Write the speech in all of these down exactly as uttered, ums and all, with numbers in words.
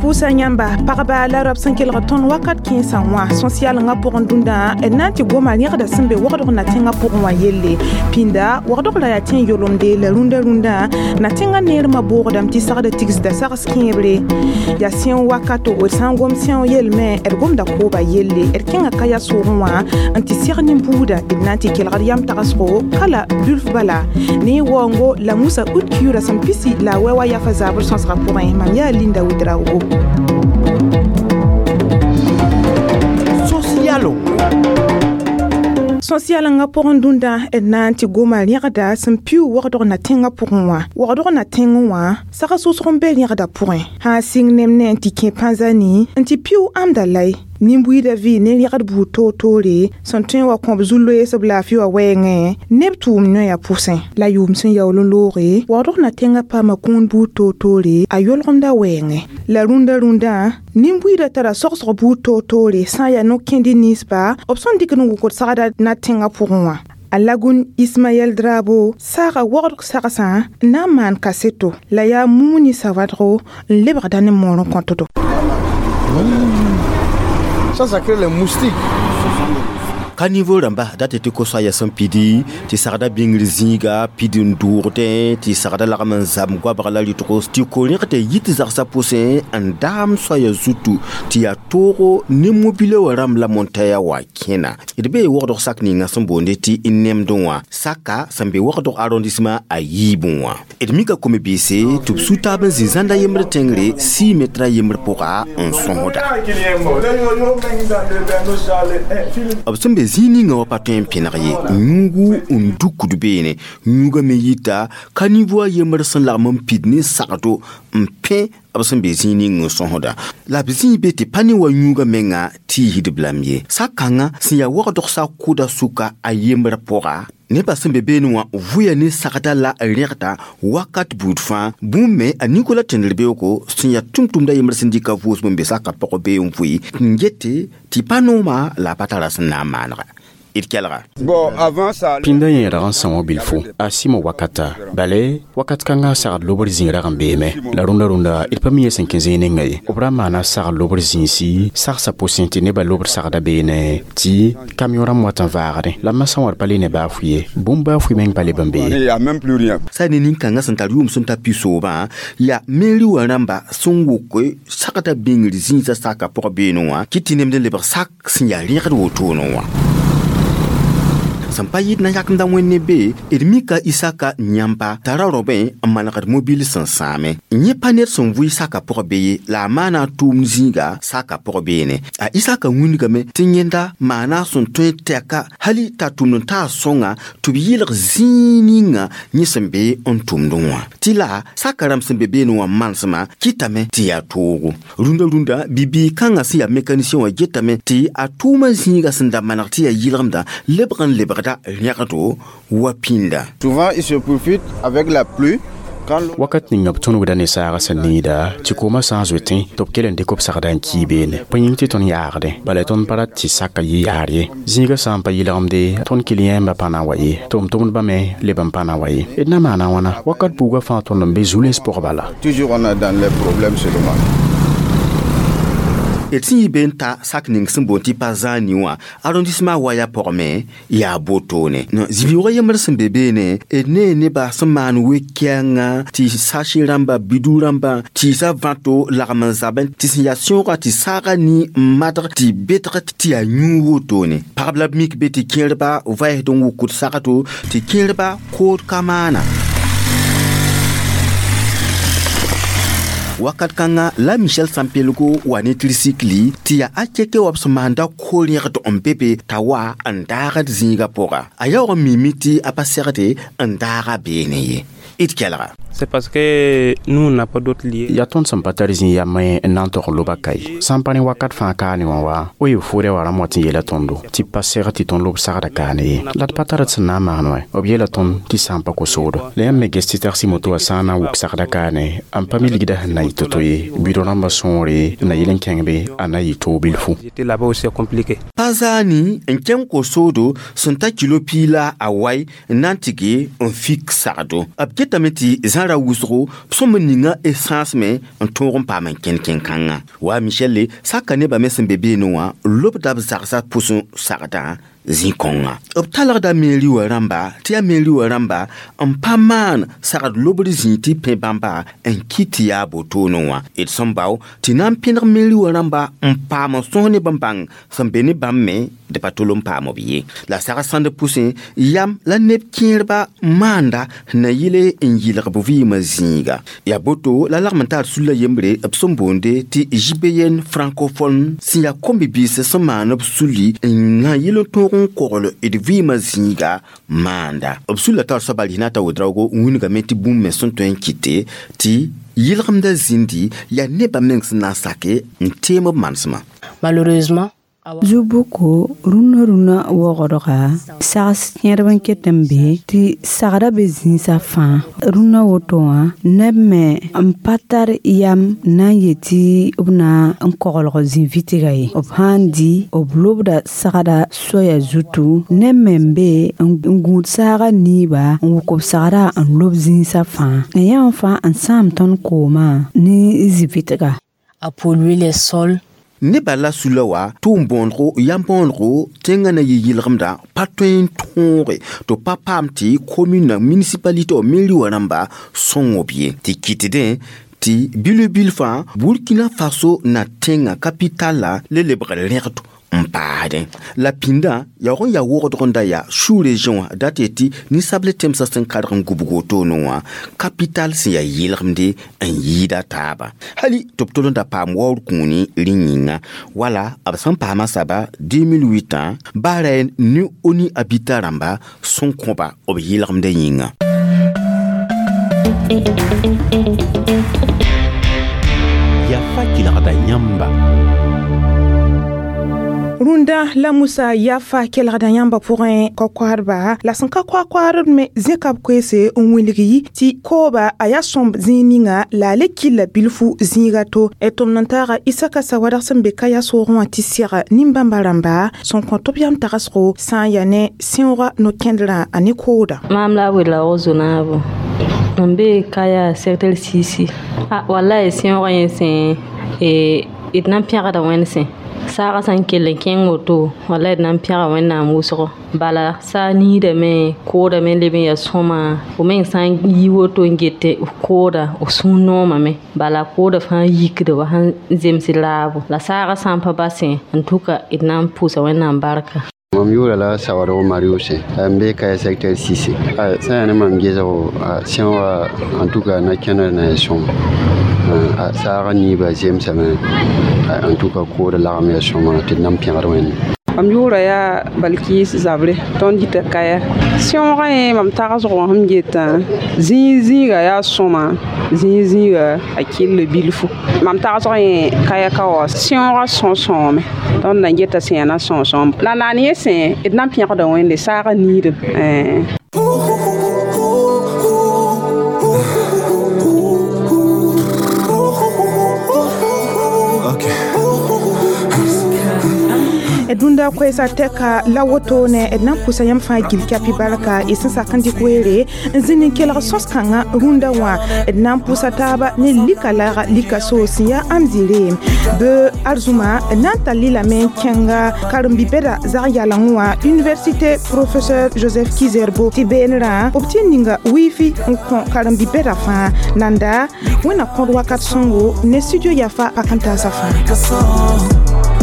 Pusa yãmba pagba la rab sẽn kelg tõnd wakat kẽensã wã sõ-sɩalengã pʋgẽ dũndã d na n tɩ goma rẽgda sẽn be wagdg na tẽngã pʋgẽ wã yelle pĩnda wagdg ra yaa tẽ n yolemde la rũndã rũndã na tẽngã neermã boogdame tɩ sagda tigsda sags kẽebre yaa sẽo wakato d sã n gom sẽo yelme d gomda kooba yelle d kẽnga kaya soogẽ wã n tɩ seg nin-buuda d na n tɩ kelgd yam tagsgo kala dulf bala ne waoongo la musa ut kiuura sẽn pisi la a wɛ wa yafa zabr sõsgã pʋgẽ mam yaa Linda Ouedraogo. Socialo. Sõ-sɩalengã pʋgẽ dũndã d na n tɩ goma rẽgda sẽn piʋʋg wagdg na tẽngã pʋgẽ wã wagdg na tẽngẽ wã sags wʋsg n be rẽgda pʋgẽ sã n sɩng nem ne n tɩ kẽ pãnzani n tɩ piʋʋg ãmda lay nin-buiidã vɩ ne rẽgd buud toor-toore sẽn tõe n wa kõb zu-loeesb laafɩ wã wɛɛngẽ neb tʋʋm noya pʋsẽ la yʋʋm sẽn yaool n looge wagdg na tẽngã paama kũun buud toor-toore a yolgemda wɛɛngẽ la rũndã rũndã nin-buiidã tara sogsg buud toor-toore sã n yaa no-kẽndi ninsba b sẽn dɩkd n wʋkd sagda na tẽngã pʋgẽ wã a lagun Ismaël Drabo saaga wagdg sagsã n na n maan kaseto la yaa mumuni sawadgo n lebgda ne moor n kõtdo. Ça, ça crée les moustiques. Caniveau rãmba dat tɩ ko-soaya sẽn pidi tɩ sagda bĩngr zĩiga pid n dʋʋgdẽ tɩ sagda lagm n zam goabg la rɩtgo tɩ ko-rẽgd yit zagsã pʋsẽ n daam soaya zutu tɩ yaa toogo ne mobile wã rãmb la montaya wa kẽna d bee wagdg sak ninga sẽn boonde tɩ nemdẽ wã saka sẽn be wagdg arrondissement a yiibẽ wã d mika kom-biise tɩ b su-taab n zĩ zãnda yembr tẽngre six metra yembr pʋga n sõsda b sẽn be zĩig ninga wã pa tõe n pẽneg ye yũugu n dukd beene yũugã me yita caniveau a yembr sẽn lagm n pid ne sagdo n pẽ b sẽn be zĩig ning n sõsda la b zĩig be tɩ pa ne wa yũugã menga tiisd b lam ye sak-kãngã sẽn yaa wagdg sa kʋda sʋka a yembr pʋga nebã sẽn be beene wã vʋya ne sagda la rẽgda wakat buud fãa bũmb me a Nicolas Tẽndr-beoogo sẽn yaa tʋm-tʋmda yembr sẽn dɩka vʋʋsem n be saka pʋgẽ bee n vʋɩ n gete tɩ pa nooma la a pa tara sẽn na n maanega. Bon, avant ça, Pĩndã yẽ rag n são bilfo a sɩmo wakata bale wakat kãngã sagd lobr zĩig rag n beeme la rũndã rũndã d pa mi sẽn kẽ zĩig ninga ye b ra maana sagd lobr zĩisi sagsã pʋsẽ tɩ nebã lobr sagda beene tɩ kamiõ rãmb wat n vaagdẽ la masã wã d pa le ne baa-fʋ ye bũmb baa-fʋ meng pa leb n be ye il n'y a même plus rien. Sa ne nin-kãngã sẽn tar yʋʋm sẽn ta pisoobã yaa meri wã rãmba sẽn wok sagda bĩngr zĩisã saka pʋgã beene wã kɩ tɩ nemd n lebg sak sẽn yaa rẽgd wotone wã sẽn pa yɩd na yakemda wẽnne be d mika Isaka yãmba tara robẽ n manegd mobil sẽn sãame yẽ pa ned sẽn vʋɩ saka pʋgã be ye la a maana a tʋʋmd zĩiga saka pʋgã beene a Isaka wĩndgame tɩ yẽnda maana sẽn tõe tɛka hali t'a tʋmd n taa sõnga tɩ b yɩlg zĩig ninga yẽ sẽn be n tʋmdẽ wã tɩ la saka rãmb sẽn be beene wã manesmã kɩtame tɩ yaa toogo rũndã rũndã bibiig kãngã sẽn yaa mécanicien wã getame tɩ a tʋʋmã zĩiga sẽn da maneg tɩ yaa yɩlgemda lebg n lebgda rẽgdo wa pĩnda. Souvent, ils se profitent avec la pluie. Wakat ninga b tõnugda ne saagã sẽn needa tɩ koomã sã n zoetẽ tɩ b kell n dɩk b sagda n kii beene bõe yĩng tɩ tõnd yaagdẽ bala tõnd pa rat tɩ saka yɩ yaar ye zĩigã sã n pa yɩlgemde tõnd kiliyẽmbã pa na n wa ye tʋm-tʋmdbã me leb n pa na n wa ye d na maana wãna wakat buugã fãa tõnd n be zu-lens pʋg bala. Toujours on est dans les problèmes seulement. D sẽn yɩ be n ta sak ning sẽn boond tɩ pa zãani wã arrondissement waya pʋgme yaa botone zĩ-biʋʋgã yembr sẽn be beene d nee nebã sẽn maan we-kɛɛngã tɩ sache rãmba bidu rãmbã tɩɩsã vãto lagm n zabẽ tɩ sẽn yaa sõoga tɩ saaga ni n madg tɩ betg tɩ yaa yũug wotone pagb la b mik be tɩ kẽerba vaɛsd n wʋkd sagdo tɩ kẽerba kood ka maana wakat kãngã la Michel Sampelgo wa ne tricycle tɩ yaa a keke wa b sẽn maanda ko-rẽgd n be be t'a wa n daagd zĩigã pʋga a yaoog n mimi tɩ a pa segde n daaga beene ye. D kelga. C'est parce que nous, on n'a pas d'autre lieu. Yaa tõnd sẽn pa tar zĩ yam n na n tog loba kae sã n pa ne wakat fãa kaane wã wa o yee foore wã rãmb wa tɩ n yeela tõndo tɩ pa seg tɩ tõnd lob sagda kaane ye la d pa tar d sẽn na n maan wã b yeela tõnd tɩ sã n pa ko-soogdo la yãmb me ges tɩ tagsɩ moto wã sã n na n wʋk sagda kaane n pa mi ligda sẽn na yɩ to-to ye bɩ rãmbã sõore na yel n kẽng be a na yɩ toog bilfu. J'étais là-bas aussi, c'est compliqué. Pa zaani n kẽng ko-soodo sẽn ta kilo piig la a wai n na n tɩ ge n fik sagdo. B getame tɩ zãra wʋsgo b sõm n ninga essence me n tõog n paam n kẽnd kẽn-kãngã. Wa Michel saka nebã me sẽn be beene wã lobda b zagsã pʋsẽ sagdã zĩ-kõngã. B talgda meri wã rãmba tɩ yaa meri wã rãmba n pa maan sagd lobr zĩig tɩ pẽ bãmba n kɩ tɩ yaa botoone wã. D sẽn bao tɩ na n pẽneg meri wã rãmba n paam n sõs ne bãmb sẽn be ne bãmb me d pa tol n paam b ye. La sag sãnd pʋsẽ yam la neb kẽerba maanda na yɩle n yɩlg b vɩɩmã zĩiga. Yaa boto la lagm n tar sulla yembre b sẽn boonde tɩ J B N francophone sẽn yaa kom-bibiis sẽn maan b sulli n na yɩl n tõog n kogl d vɩɩmã zĩiga maanda. B sulla tar soaba rɩsna t'a Ouedraogo wĩnigame tɩ bũmb me sẽn tõe n kɩte tɩ yɩlgemdã zĩndi yaa nebã meng sẽn na n sake n teem b manesmã. Malheureusement, Zu-bʋko rũnnã rũnnã wogdga sags kẽerb n ket n be tɩ sagda be zĩisã fãa rũnnã woto wã neb me n pa tar yam na n yetɩ b na n koglg zĩ-vɩtga ye b sã n dɩ b lobda sagda soaya zutu neb me n be n gũud saaga niiba n wʋk b sagda n lob zĩisã fãa n yã wã fãa n sãam tõnd koomã ne zĩ-vɩtga. A pollué les sols. Nebã la sula wa tʋʋm bõonego yam bõonego tẽngã na yɩ yɩlgemdã pa tõe n tõoge tɩ pa paam tɩ commune municipalité meri wã rãmba sõng b ye tɩ kɩtdẽ tɩ bil-bil fãa Burkina Faso na tẽngã kapitala le lebg rẽgd n paasdẽ la pĩndã yaoog n yaa wogdg n da yaa sous-région wã dat yetɩ ninsable tẽmsã sẽn karg n gubg wotone wã kapital sẽn yaa yɩlgemde n yɩɩda taaba hali tɩ b tol n da paam waoor kũuni rẽ yĩnga wala b sẽn paama saba deux mille huit baara ne ONU Habitat rãmba sẽn kõba b yɩlgemdã yĩnga. Yafa kelgda yãmba. Rũndã la Musa yafa kelgda yãmba pʋgẽ ka-koaadba la sẽn ka koa-koaadb me zẽka b koeese n wilgi tɩ kooba a yaa sõmb zĩig ninga la a le killa bilfu zĩiga to d tʋmd n taaga Isaka Sawadg sẽn be Kaya soogẽ wã tɩ seg nin-bãmba rãmba sẽn kõ tɩ b yam tagsgo sã n yaa ne sẽooga no-kẽndrã a ne kooda. Maam la a Ouedraogo Zonaabo mam bee Kaya secteur sisi a wallahi sẽoogã yẽ sẽ d na n pẽgda wẽnd sẽ saagã sã n kell n kẽng woto wala d na n pẽga wẽnnaam wʋsgo bala saa niidame koodame leb n yaa sõma fo meng sã n yi woto n get kooda f sũur noomame bala kooda fãa yikda wa sãn zems raabo la saagã sã n pa basẽ n tʋka d na n pʋʋsa wẽnnaam barka. Mam yʋʋra la Sawadg Marius n be Kaya secteur six sã yaa ne mam gesgo sẽoogã en tout cas na kẽndr na ya sõma saagã niibã zemsame en tout cas kood lagem yaa sõma tɩ d na n pẽgd wẽnde. Mam yʋʋra yaa Balkis Zabre tõnd yita Kaya sẽoogã yẽ mam tagsg wã sẽm getã zĩig zĩiga yaa sõma zĩig zĩiga a kɩlla bilfu mam tagsg yẽ Kaya ka wa sẽoogã sõs-sõome tõnd na n geta sẽn yaa na sõs-sõom la naan yẽ sẽ d na n pẽgda wẽnde saagã niidem. Dũnda koɛɛsã tɛka la woto ne d na n pʋsa yãmb fãa gil kapi barka y sẽn sak n dɩk weere n zĩnd n kelg sõs-kãngã rũndã wã d na n pʋsa taaba ne lika laaga lika soos sẽn yaa amzire bɩ arzũma d na n tall lame n kẽnga karen-bi-bɛda zag yaleng wã université professeur Joseph Kizerbo tɩ beenrã b tɩ n ninga wifi n kõ karen-bi-bɛda fãa nanda wẽnna kõd wakat sõngo ne studio yafa pak n taasã fãa.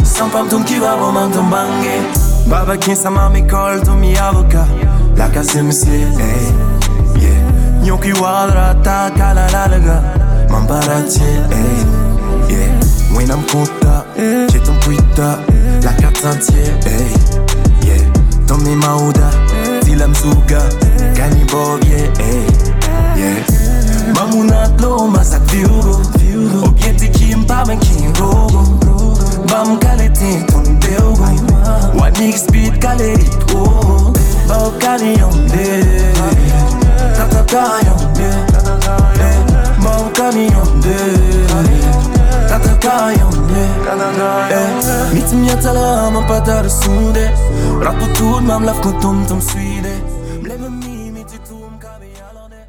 Sans pam ki va roman ton bange. Baba kinsa mami call to mi avocat. La casa M C, hey, yeah. Nyoki wadra ta kala la laga. Mambarati, hey, yeah. When I'm content, j'ai ton puita. La carte entière, hey, yeah. Tommy Mauda, Dilam Zuga, Gani Bob, yeah, hey, yeah. Big speed galerito Bao camion de Tata camion de Bao camion de Tata camion de Mit mi mam pa tar sũude Rat tʋʋd mam la f kõt tʋm tɩ m suiide m leb n miime tɩ tʋʋm ka be yalgde